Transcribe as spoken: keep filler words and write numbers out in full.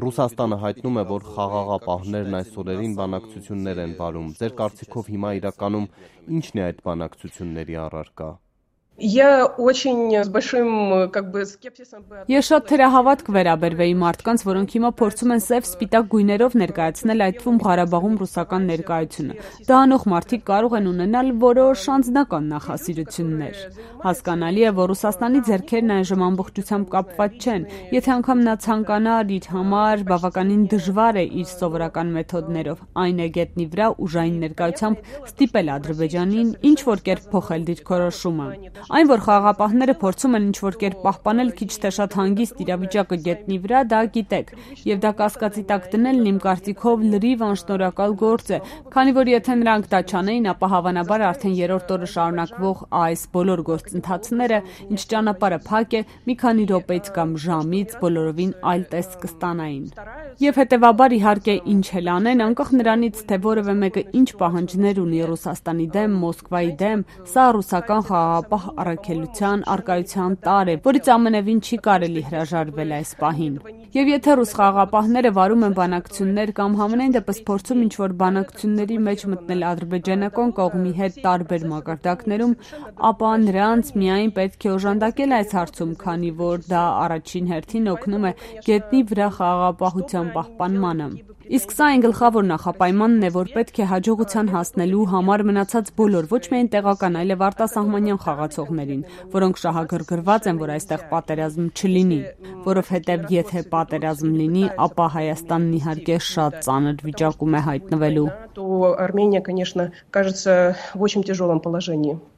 Ռուսաստանը հայտնում է, որ խաղաղապահներն այս օրերին բանակցություններ են վարում։ Ձեր կարծիքով հիմա իրականում ի՞նչն է այդ բանակցությունների առարկա։ Ես շատ թերահավատ կվերաբերվեի մարդկանց, որոնք հիմա փորձում են սև սպիտակ գույներով ներկայացնել այդ թվում Ղարաբաղում ռուսական ներկայությունը։ Դա անող մարդիկ կարող են ունենալ որոշ անձնական նախասիրություններ։ Հասկանալի է, որ Ռուսաստանի ձեռքերն այժմ ամբողջությամբ կապված չեն։ Եթե անգամ նա ցանկանար, իր համար բավականին դժվար է իր սովորական մեթոդներով, այն է գետնի վրա ուժային ներկայությամբ ստիպել Ադրբեջանին ինչ որ կերպ փոխել դիրքորոշումը։ Այն, որ խաղաղապահները փորձում են ինչ-որ կերպ պահպանել քիչ թե շատ հանգիստ իրավիճակը գետնի վրա, դա գիտեք, եւ դա կասկածի տակ դնելն իմ կարծիքով լրիվ անշնորհակալ գործ է, քանի որ եթե նրանք դա չանեին, ապա հավանաբար արդեն երրորդ օրը շարունակվող այս բոլոր գործընթացները, ինչ ճանապարհը փակ է, մի քանի րոպեից կամ ժամից բոլորովին այլ տեսք կստանային։ Եվ հետեւաբար իհարկե ինչ էլ անեն, անկախ նրանից, թե որևէ մեկը ինչ պահանջներ ունի Ռուսաստանի դեմ, Մոսկվայի դեմ, սա ռուսական խաղաղապահ առաքելության առկայության տարր է, որից ամենևին չի կարելի հրաժարվել այս պահին։ Եվ եթե ռուս խաղաղապահները վարում են բանակցություններ կամ համենայն դեպս փորձում ինչ-որ բանակցությունների մեջ մտնել ադրբեջանական կողմի հետ տարբեր մակարդակներում, ապա նրանց միայն պետք է օժանդակել այս հարցում, քանի որ դա առաջին հերթին օգնում է գետնի վրա խաղաղապահության պահպանմանը։ Իսկ սա այն գլխավոր նախապայմանն է, որ պետք է հաջողության հասնելու համար մնացած բոլոր, ոչ միայն տեղական, այլև արտասահմանյան խաղացողներին, որոնք շահագրգռված են, որ այստեղ պատերազմ չլինի, որովհետև եթե պատերազմ լինի, ապա Հայաստանն իհարկե շատ ծանր վիճակում է հայտնվելու։ То Армения, конечно, кажется в очень тяжелом положении.